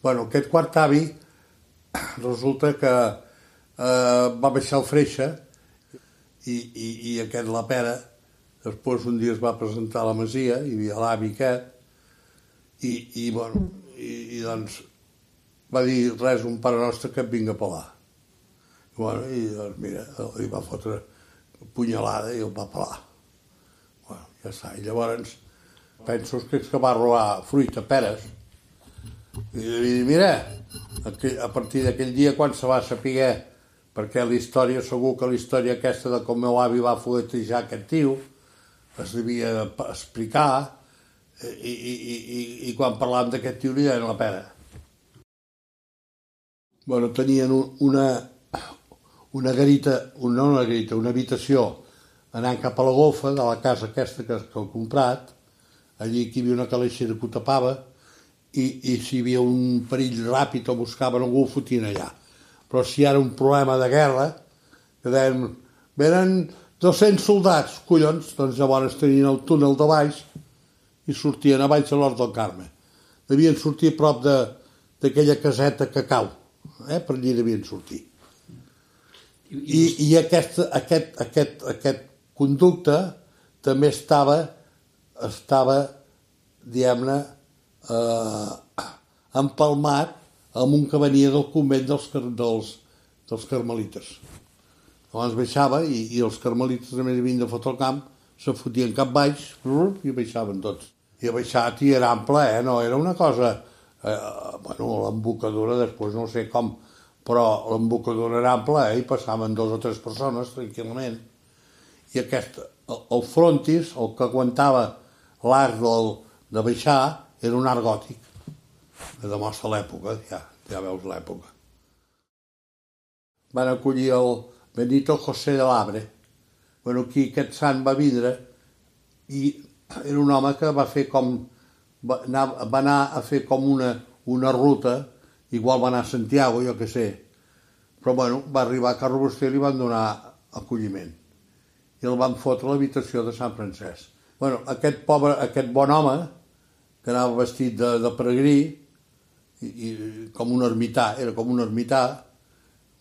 Bueno, aquest quart avi resulta que va baixar el Freixa i aquest la Pera després un dia es va presentar a la masia, hi havia l'avi aquest, i doncs va dir res, un pare nostre que et vinga a pelar. I doncs mira, li va fotre punyalada i el va pelar. Ja està. I llavors penso que és que va robar fruita, peres. I li dir, mira, a partir d'aquell dia quan se va saber, perquè la història, segur que la història aquesta de com meu avi va fuetejar aquest tio, es devia explicar, i quan parlàvem d'aquest tio li deien la Pera. Bueno, tenien una garita, no una garita, una habitació anant cap a la golfa de la casa aquesta que he comprat, allí que hi havia una calaixera que ho tapava, i si hi havia un perill ràpid o buscaven algú ho fotien allà. Però si hi era un problema de guerra, que deien, venen 200 soldats, collons, doncs llavors tenien el túnel de baix i sortien a baix a l'Hort del Carme. Devien sortir a prop d'aquella caseta que cau, per allí devien sortir. I aquest conducte també estava diguem-ne, empalmat amb un que venia del convent dels carmelites. Llavors baixava i els carmelites també havien de fotre el camp, se fotien cap baix i baixaven tots. I a baixat i era ample, no? Era una cosa... l'embocadura després no sé com, però l'embocadura era ample i passaven 2 o 3 persones tranquil·lament. I el frontis, el que aguantava l'arc de baixar, era un arc gòtic, que demostra l'època, ja veus l'època. Van acollir el Benito José de l'Abre. Aquí aquest sant va vindre i era un home que va anar a fer com una ruta, igual va anar a Santiago, jo què sé, però va arribar a Carrabustell i li van donar acolliment i el van fotre a l'habitació de Sant Francesc. Aquest bon home, que anava vestit de peregrí, com un ermità, era com un ermità,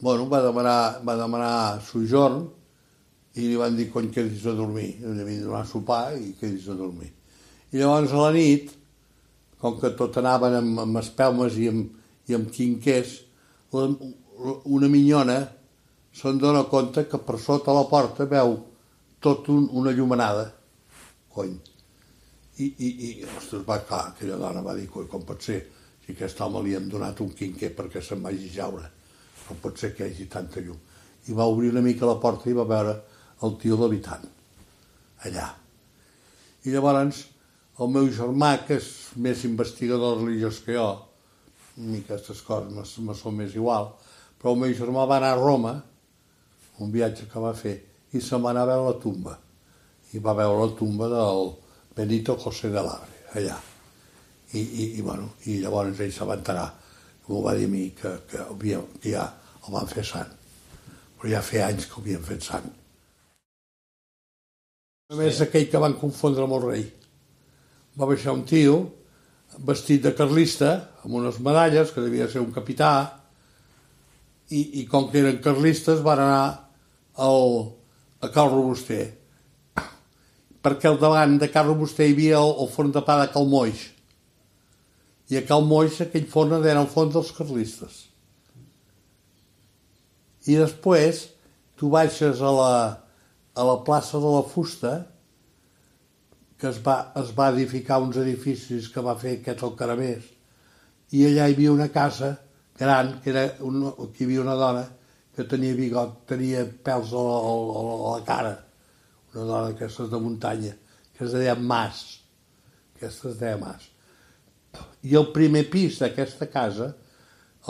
va demanar sojorn i li van dir, cony, quedis a dormir. Li havien de donar sopar i quedis a dormir. I llavors a la nit, com que tot anaven amb espelmes i amb quinquers, una minyona se'n dona compte que per sota la porta veu tot una llumenada. Cony. Ostres, va, clar, aquella dona va dir, com pot ser? Si aquest home li hem donat un quinquer perquè se'n vagi a jaure, com pot ser que hi hagi tanta llum? I va obrir una mica la porta i va veure el tio l'habitant, allà. I llavors el meu germà, que és més investigador religiós que jo, a mi aquestes coses me són més igual, però el meu germà va anar a Roma, un viatge que va fer, i se'n va anar a veure la tumba. I va veure la tumba del Benito José de l'Abre, allà. I llavors ell se va enterar, m'ho va dir a mi, que ja el van fer sant. Però ja feia anys que ho havien fet sant. Només aquell que van confondre amb el rei. Va baixar un tio vestit de carlista, amb unes medalles, que devia ser un capità, i com que eren carlistes van anar a Cal Robuster, perquè al davant de Cal Robuster hi havia el forn de pa de Cal Moix, i a Cal Moix aquell forn era el forn dels carlistes. I després tu baixes a la plaça de la Fusta, que es va edificar uns edificis que va fer aquest Alcaravés, i allà hi havia una casa gran, que hi havia una dona que tenia bigot, tenia pèls a la cara, una dona d'aquestes de muntanya, que es deia Mas. Aquesta es deia Mas. I el primer pis d'aquesta casa,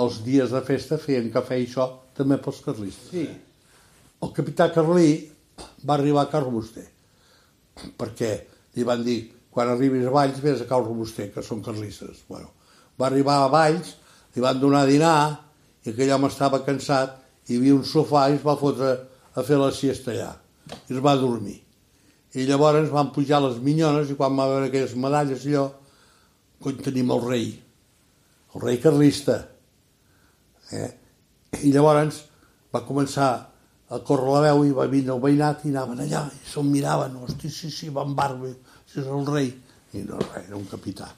els dies de festa feien cafè i això també pels carlistes. Sí. El capità Carlí va arribar a Cal Robuster, perquè li van dir, quan arribis a Valls vés a Cal Robuster, que són carlistes. Va arribar a Valls, li van donar a dinar, i aquell home estava cansat, hi havia un sofà i es va fotre a fer la siesta allà, i es va dormir. I llavors van pujar les minyones, i quan va veure aquelles medalles, allò, cony, tenim el rei. el rei carlista. I llavors va començar a córrer la veu i va vindre el veïnat i anaven allà i se'l miraven, hosti, sí, va amb barba, si és el rei. I no, res, era un capità.